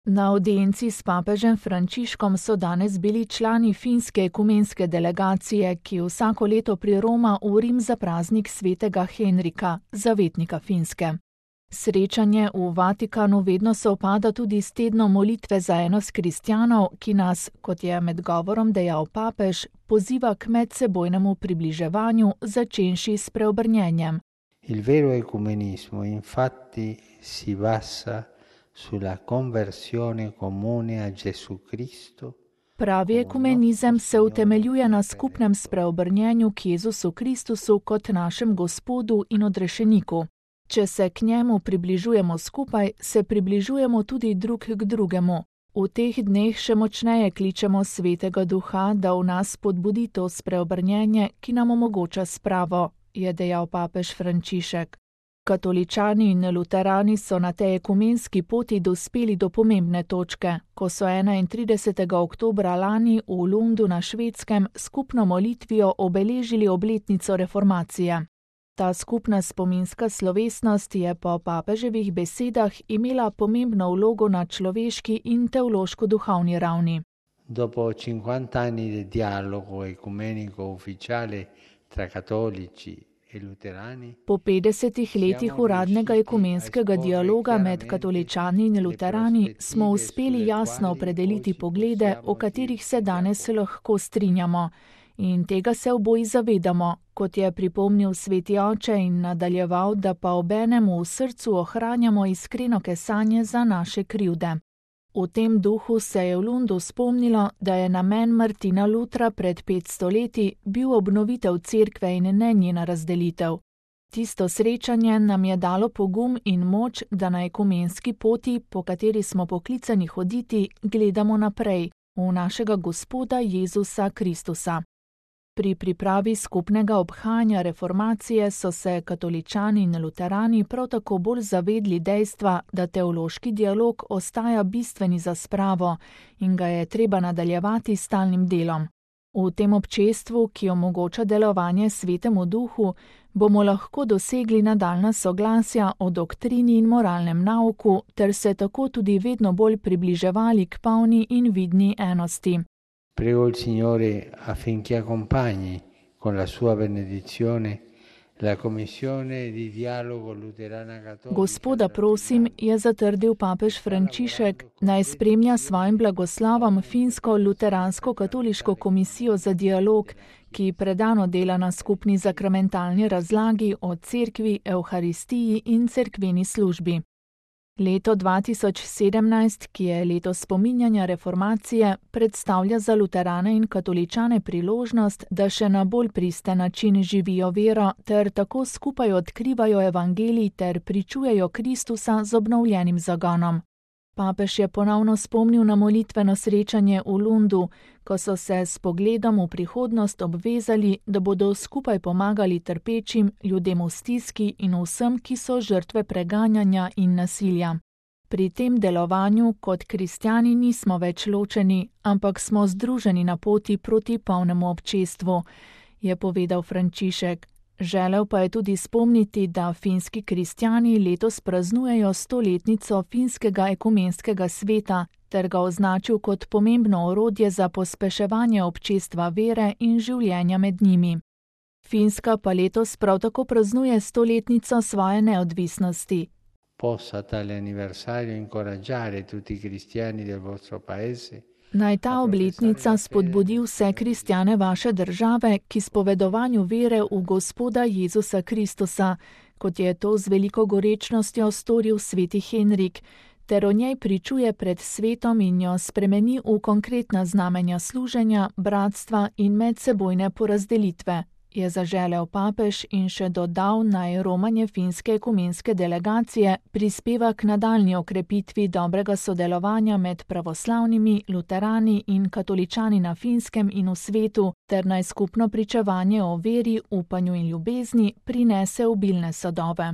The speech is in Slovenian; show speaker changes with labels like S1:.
S1: Na audienci s papežem Frančiškom so danes bili člani finske ekumenske delegacije, ki vsako leto priroma v Rim za praznik svetega Henrika, zavetnika Finske. Srečanje v Vatikanu vedno sovpada tudi s tednom molitve za enost kristjanov, ki nas, kot je med govorom dejal papež, poziva k medsebojnemu približevanju, začenši s preobrnjenjem.
S2: Il vero ecumenismo infatti si basa sulla conversione comune a Gesù Cristo.
S1: Pravi ekumenizem se utemeljuje na skupnem spreobrnjenju k Jezusu Kristusu kot našem Gospodu in odrešeniku. Če se k njemu približujemo skupaj, se približujemo tudi drug k drugemu. V teh dneh še močneje kličemo Svetega Duha, da v nas spodbudi to spreobrnjenje, ki nam omogoča spravo, je dejal papež Frančišek. Katoličani in luterani so na tej ekumenski poti dospeli do pomembne točke, ko so 31. oktobra lani v Lundu na Švedskem skupno molitvijo obeležili obletnico reformacije. Ta skupna spominska slovesnost je po papeževih besedah imela pomembno vlogo na človeški in teološko-duhovni ravni.
S2: Dopo 50 anni di dialogo ecumenico ufficiale tra cattolici e luterani.
S1: Po 50 letih uradnega ekumenskega dialoga med katoličani in luterani smo uspeli jasno opredeliti poglede, o katerih se danes lahko strinjamo. In tega se oboji zavedamo, kot je pripomnil sveti oče in nadaljeval, da pa obenem v srcu ohranjamo iskreno kesanje za naše krivde. V tem duhu se je v Lundu spomnilo, da je namen Martina Lutra pred 500 leti bil obnovitev cerkve in ne njena razdelitev. Tisto srečanje nam je dalo pogum in moč, da na ekumenski poti, po kateri smo poklicani hoditi, gledamo naprej, v našega Gospoda Jezusa Kristusa. Pri pripravi skupnega obhajanja reformacije so se katoličani in luterani prav tako bolj zavedli dejstva, da teološki dialog ostaja bistveni za spravo in ga je treba nadaljevati s stalnim delom. V tem občestvu, ki omogoča delovanje Svetemu Duhu, bomo lahko dosegli nadaljnja soglasja o doktrini in moralnem nauku ter se tako tudi vedno bolj približevali k polni in vidni enosti.
S2: Prego il Signore affinché accompagni con la sua benedizione la Commissione di dialogo luterana cattolica.
S1: Gospoda prosim, je zatrdil papež Frančišek, naj spremlja svojim blagoslovom finsko luteransko katoliško komisijo za dialog, ki predano dela na skupni sakramentalni razlagi o cerkvi, evharistiji in cerkveni službi. Leto 2017, ki je leto spominjanja reformacije, predstavlja za luterane in katoličane priložnost, da še na bolj pristen način živijo vero ter tako skupaj odkrivajo evangelij ter pričujejo Kristusa z obnovljenim zagonom. Papež je ponovno spomnil na molitveno srečanje v Lundu, ko so se s pogledom v prihodnost obvezali, da bodo skupaj pomagali trpečim, ljudem v stiski in vsem, ki so žrtve preganjanja in nasilja. Pri tem delovanju kot kristjani nismo več ločeni, ampak smo združeni na poti proti polnemu občestvu, je povedal Frančišek. Želel pa je tudi spomniti, da finski kristjani letos praznujejo 100-letnico finskega ekumenskega sveta ter ga označil kot pomembno orodje za pospeševanje občestva vere in življenja med njimi. Finska pa letos prav tako praznuje 100-letnico svoje neodvisnosti.
S2: Possa tale anniversario incoraggiare tutti i cristiani del vostro paese.
S1: Naj ta obletnica spodbudi vse kristjane vaše države k izpovedovanju vere v Gospoda Jezusa Kristusa, kot je to z veliko gorečnostjo storil sveti Henrik, ter o njej pričuje pred svetom in jo spremeni v konkretna znamenja služenja, bratstva in medsebojne porazdelitve, je zaželel papež in še dodal, naj romanje finske ekumenske delegacije prispeva k nadaljnji okrepitvi dobrega sodelovanja med pravoslavnimi, luterani in katoličani na Finskem in v svetu, ter naj skupno pričevanje o veri, upanju in ljubezni prinese obilne sadove.